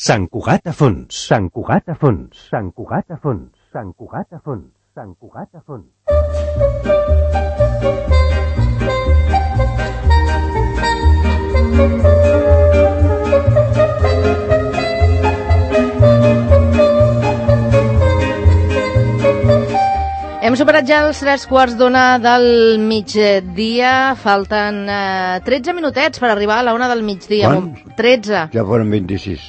Sant Cugat a fons, Sant Cugat a fons, Sant Cugat a fons, Sant Cugat a fons, Sant Cugat a fons. Hem superat ja els 3:15 del migdia, falten 13 minutets per arribar a la 1 del migdia. Quants? 13. Ja foren 26.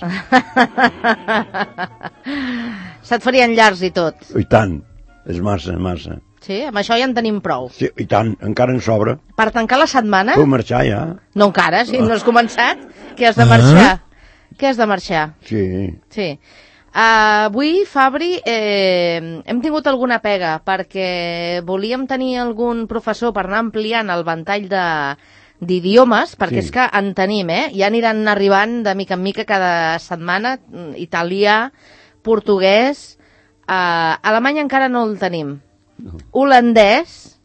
Se't farien llargs i tot. I tant, és massa, massa. Sí, amb això ja en tenim prou. Sí, i tant, encara en sobra. Per tancar la setmana... Puc marxar ja? No encara, si no has començat. Que has de marxar? Que has de marxar? Sí. Sí. Avui, Fabri, hem tingut alguna pega perquè volíem tenir algun professor per anar ampliant el ventall d'idiomes, perquè és que en tenim, ja aniran arribant de mica en mica cada setmana, italià, portuguès, alemany encara no el tenim, holandès,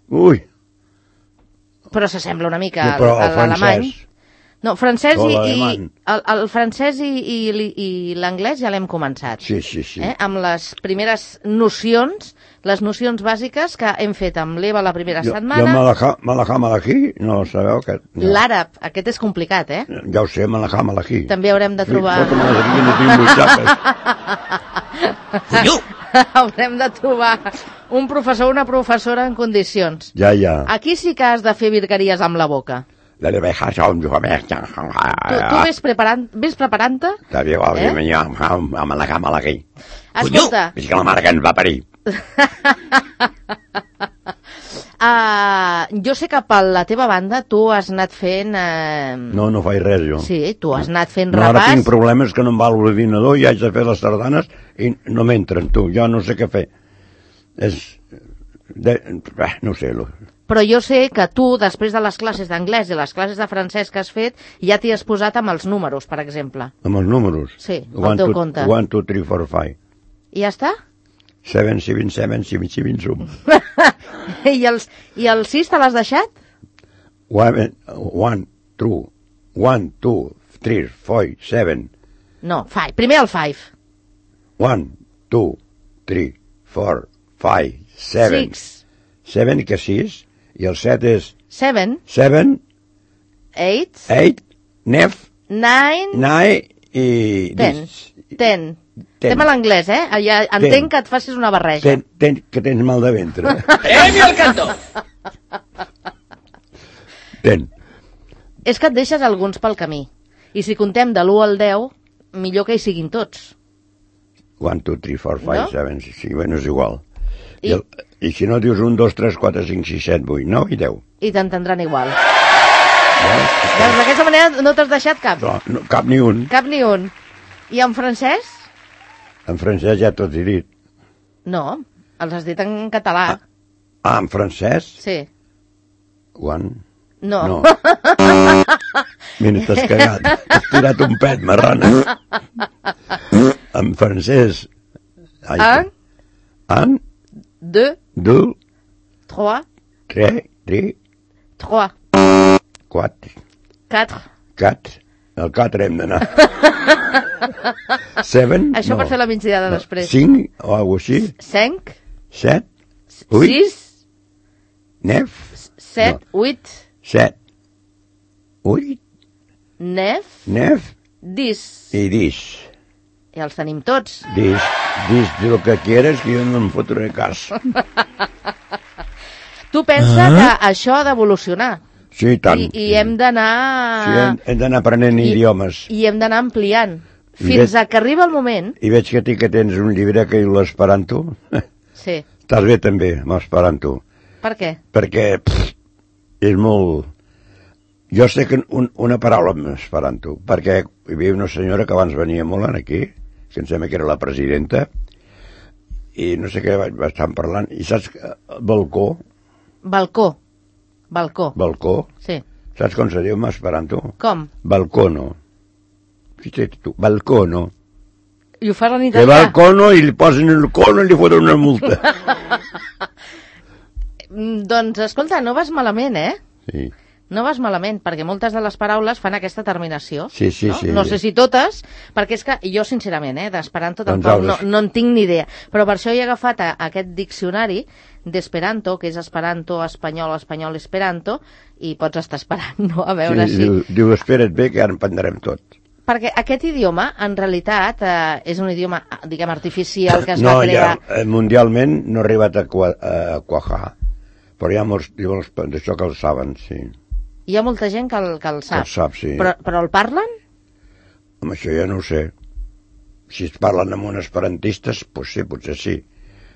però s'assembla una mica a l'alemany. No, francès el francès i l'anglès ja l'hem començat. Sí. Amb les primeres nocions, les nocions bàsiques que hem fet amb l'Eva la primera setmana. Jo malakí, no sabeu que... L'àrab, aquest és complicat, Ja ho sé, malakí. També haurem de trobar... Haurem de trobar un professor o una professora en condicions. Ja. Aquí sí que has de fer virgueries amb la boca. Tu ves preparant-te? Escolta. És que la mare que ens va parir. Jo sé que per la teva banda tu has anat fent... No faig res, jo. Sí, tu has anat fent repàs. Ara tinc problemes que no em va l'ordinador i haig de fer les sardanes i no m'entren, tu. Jo no sé què fer. No sé. Però jo sé que tu, després de les classes d'anglès i les classes de francès que has fet, ja t'hi has posat amb els números, per exemple. Amb els números? Sí, al teu compte. 1, 2, 3, 4, 5. I ja està? 7, 7, 7, 7, 7, 7. I el 6 te l'has deixat? 1, 2, 3, 4, 7. No, 5. Primer el 5. 1, 2, 3, 4, 5, 7. 6. 7 que 6. I el 7 és... 7. 7. 8. 8. 9. 9. 9 i... 10. 10. Estem a l'anglès, Ja entenc que et facis una barreja. Que tens mal de ventre. Premi al cantó! 10. És que et deixes alguns pel camí. I si contem de l'1 al 10, millor que hi siguin tots. 1, 2, 3, 4, 5, 7, sí, bueno, és igual. I si no dius 1, 2, 3, 4, 5, 6, 7, 8, 9 i 10. I t'entendran igual. Doncs d'aquesta manera no t'has deixat cap? No, cap ni un. Cap ni un. I en francès? En francès ja tots he dit. No, els has dit en català. En francès? Sí. 1? No. Mira, t'has cagat. T'has tirat un pet, marrana. En francès... Un? 2. 2. 3. 3. 3. 4. 4. 4. El 4 hem d'anar. 7. Això per fer la migdiada després. 5 o alguna cosa així. 5. 7. 8. 6. 9. 7. 8. 7. 8. 9. 9. 10. I 10. I els tenim tots. Dis de lo que quieres que jo no em fotré cas. Tu pensa que això ha d'evolucionar. Sí, tant. I hem d'anar... Sí, hem d'anar aprenent idiomes. I hem d'anar ampliant. Fins a que arriba el moment... I veig que tens un llibre que diu l'esperanto. Sí. Estàs bé també amb l'esperanto. Per què? Perquè és molt... Jo sé que una paraula amb esperanto, perquè hi havia una senyora que abans venia molt aquí, que em sembla que era la presidenta, i no sé què estan parlant, i saps balcó? Balcó? Sí. Saps com se diu en esperanto? Com? Balcono. Fixa't tu, balcono. I ho fas en italià? Que balcono i li posen el cono i li foten una multa. Doncs, escolta, no vas malament, Sí. No vas malament, perquè moltes de les paraules fan aquesta terminació. Sí. No sé si totes, perquè és que jo, sincerament, d'Esperanto Doncs tampoc no en tinc ni idea. Però per això he agafat aquest diccionari d'Esperanto, que és Esperanto, espanyol, esperanto, i pots estar esperant, no? A veure si... Diu, espera't bé, que ara en prendrem tot. Perquè aquest idioma, en realitat, és un idioma, diguem, artificial, que es va crear... No, mundialment no ha arribat a quajar, però hi ha molts d'això que el saben, sí. Hi ha molta gent que el sap. El sap, sí. Però el parlen? Amb això ja no ho sé. Si es parlen amb un esperantistes, doncs sí, potser sí.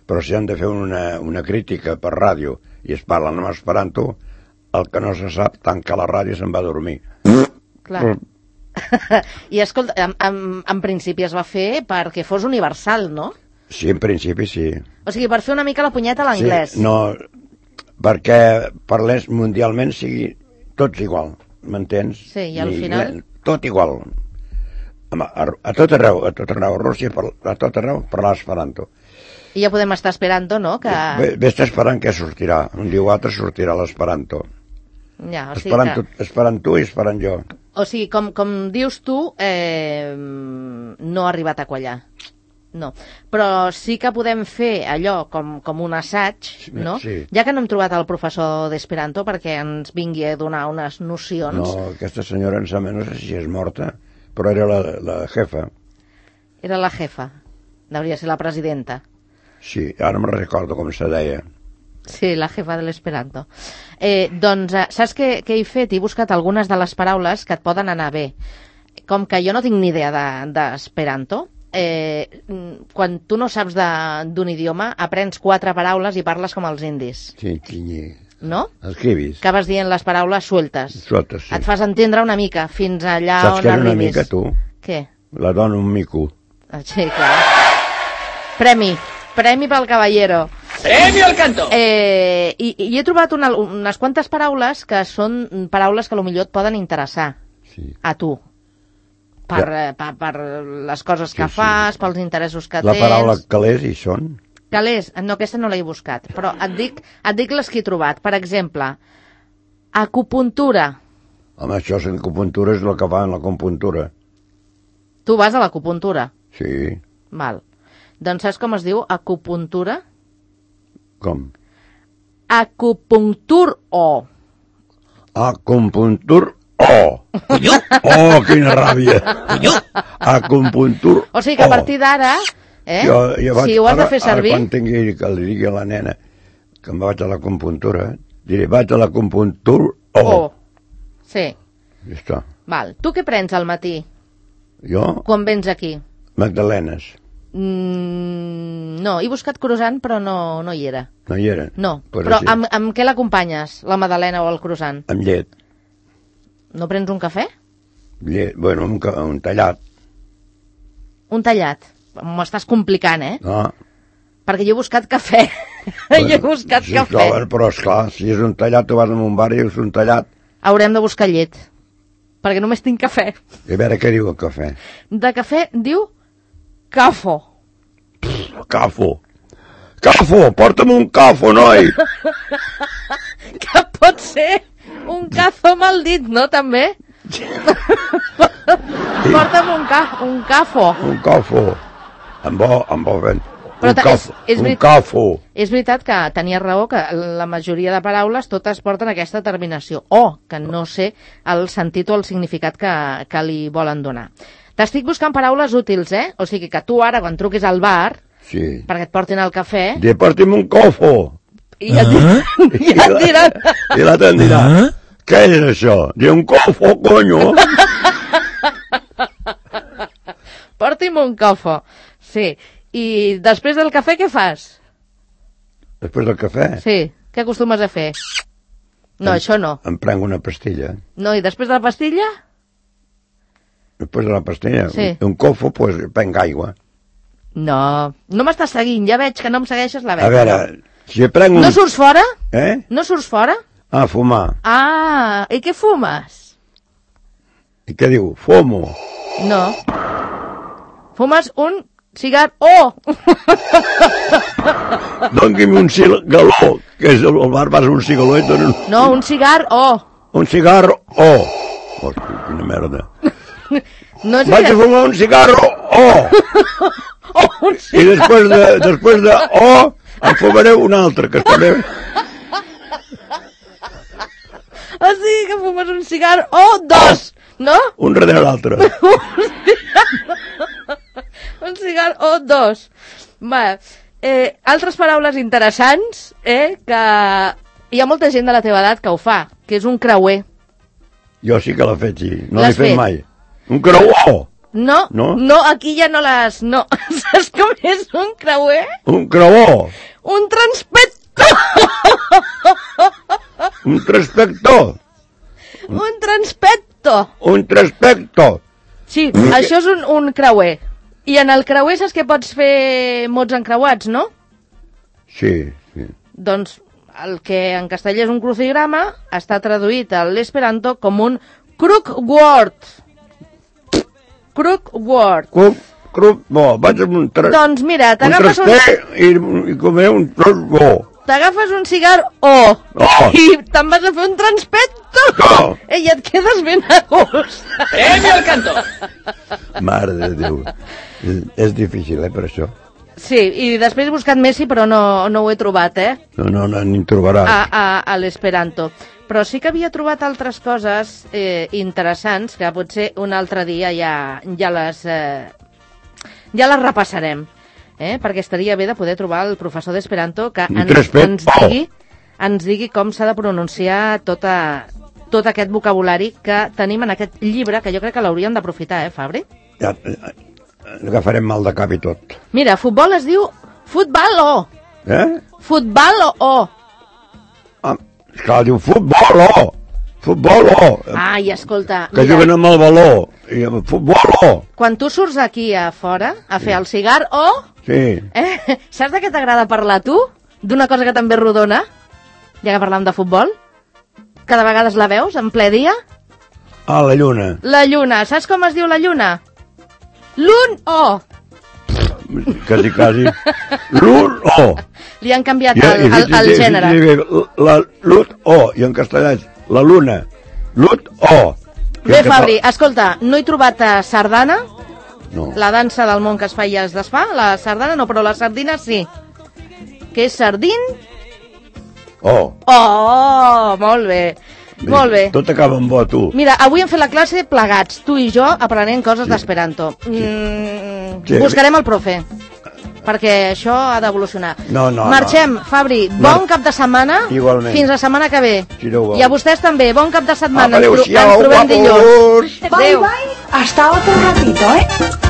Però si han de fer una crítica per ràdio i es parlen amb esperanto, el que no se sap, tanca la ràdio i se'n va a dormir. Clar. I escolta, en principi es va fer perquè fos universal, no? Sí, en principi sí. O sigui, per fer una mica la punyeta a l'anglès. Sí, no, perquè parlés mundialment sigui tots igual, m'entens? Sí, i al final... Tot igual. A tot arreu, a Rússia, a tot arreu, parlar esperanto. I ja podem estar esperant, no? Que... Ves esperant què sortirà. Un dia o altre sortirà l'esperanto. Ja, o sigui esperant tu i esperant jo. O sigui, com dius tu, no ha arribat a quallar. No. Però sí que podem fer allò com un assaig, no? Sí. Ja que no hem trobat el professor d'Esperanto perquè ens vingui a donar unes nocions. No, aquesta senyora em sembla, no sé si és morta, però era la jefa. Era la jefa. Hauria ser la presidenta. Sí, ara me'n recordo com se deia. Sí, la jefa de l'Esperanto. Doncs, saps què he fet? He buscat algunes de les paraules que et poden anar bé. Com que jo no tinc ni idea d'Esperanto, quan tu no saps d'un idioma, aprens 4 paraules i parles com els indis. Sí, no? Escribis. Acabes dient les paraules sueltes. Sueltes, sí. Et fas entendre una mica, fins allà saps on arribis. Saps què és una mica, tu? Què? La dona un mico. Sí, clar. Premi pel caballero. Premi al canto! I he trobat unes quantes paraules que són paraules que potser et poden interessar a tu. Per les coses que fas, pels interessos que tens... La paraula calés hi són? Calés? No, aquesta no l'he buscat, però et dic les que he trobat. Per exemple, acupuntura. Home, això és acupuntura, és el que fan l'acupuntura. Tu vas a l'acupuntura? Sí. Val. Doncs saps com es diu acupuntura? Com? Acupunctur-o. Acupuntur-o. Oh, quina ràbia. Acupuntur. O sigui que a partir d'ara, si ho has de fer servir... Ara quan tingui que li digui a la nena que em vaig a l'acupuntura, diré, vaig a l'acupuntur-o. Sí. Ja està. Val. Tu què prens al matí? Jo? Quan vens aquí? Magdalenes. No, he buscat croissant, però no hi era. No hi era? No, pues però amb què l'acompanyes, la magdalena o el croissant? Amb llet. No prens un cafè? Llet, bueno, un tallat. Un tallat? M'estàs complicant, No. Perquè jo he buscat cafè. Bueno, jo he buscat cafè. Però esclar, si és un tallat, tu vas a un bar i és un tallat. Haurem de buscar llet, perquè només tinc cafè. I a veure què diu el cafè. De cafè diu cafo. Cafo. Cafo, porta'm un cafo, noi! Que pot ser un cafo mal dit, no, també? Porta'm un cafo. Un cafo. Amb bo fent. Un cafo. És veritat que tenia raó que la majoria de paraules totes porten aquesta terminació. O, que no sé el sentit o el significat que li volen donar. T'estic buscant paraules útils, O sigui que tu ara, quan truquis al bar, perquè et portin el cafè... Porti'm un cafo. I ja et diran... I l'altre em dirà, què és això? Diu un cafo, conyo. Porti'm un cafo. Sí. I després del cafè què fas? Després del cafè? Sí. Què acostumes a fer? No, això no. Em prenc una pastilla. No, i després de la pastilla? Després de la pastilla? Sí. Un cofo, pues, prenc aigua. No m'estàs seguint, ja veig que no em segueixes la veta. A veure, si prenc un... No surts fora? No surts fora? Ah, fumar. Ah, i què fumes? I què diu? Fumo. No. Fumes un cigar O. Doni'm un cigaló, que és el bar vas un cigaló i donen... No, un cigar O. un cigarro O. Hosti, quina merda. No és Vaig a fumar un cigarro O. I després de O em fumaré un altre, que també... O sigui que fumes un cigar o dos, no? Un darrere l'altre. Un cigar o dos. Va, altres paraules interessants, que hi ha molta gent de la teva edat que ho fa, que és un creuer. Jo sí que l'he fet, sí. No L'has l'he fet fet? mai. Un creuer. No, aquí ja no les... No, saps com és un creuer? Un creuer. Un transpector! Un transpector. Un transpector! Un transpector. Sí, això és un creuer. I en el creuer saps que pots fer mots encreuats, no? Sí, sí. Doncs el que en castellà és un crucigrama està traduït a l'esperanto com un crook-word. Crook-word. Bo, vaig amb un Doncs mira, t'agafes i comer un tros bo. T'agafes un cigar i te'n vas a fer un transpector. I et quedes ben a gust. al canto! Mare de Déu. És difícil, per això. Sí, i després he buscat Messi, però no ho he trobat, No, ni en trobaràs. a l'esperanto. Però sí que havia trobat altres coses interessants que potser un altre dia ja les repassarem. Perquè estaria bé de poder trobar el professor d'esperanto que ens digui com s'ha de pronunciar tot aquest vocabulari que tenim en aquest llibre, que jo crec que l'hauríem d'aprofitar, Fabri? Ja, agafarem mal de cap i tot. Mira, futbol es diu futbal-o. Futbal-o. Esclar, diu futbol-o. Futbol-o. Ai, escolta, que juguen amb el baló. I amb futbol-o. Quan tu surts aquí a fora a fer el cigar-o, sí. Saps de què t'agrada parlar tu? D'una cosa que també rodona, ja que parlam de futbol, que de vegades la veus en ple dia. Ah, la lluna. La lluna. Saps com es diu la lluna? L'un-o. Quasi. L'un-o. Li han canviat el gènere. La lut-o, i en castellà és la luna. Lut-o. Bé, Fabri, escolta, no he trobat sardana, no. La dansa del món que es fa i es desfà, la sardana no, però la sardina sí. Que és sardín? Oh, molt bé. Molt bé. Tot acaba amb bo, tu. Mira, avui hem fet la classe plegats, tu i jo, aprenent coses d'esperanto. Buscarem el profe, perquè això ha d'evolucionar. No. Marxem, Fabri, bon cap de setmana. Igualment. Fins la setmana que ve. Si no ho vols. I a vostès també, bon cap de setmana. Adéu-siau, ens trobem dilluns. Bye, bye. Hasta otro ratito,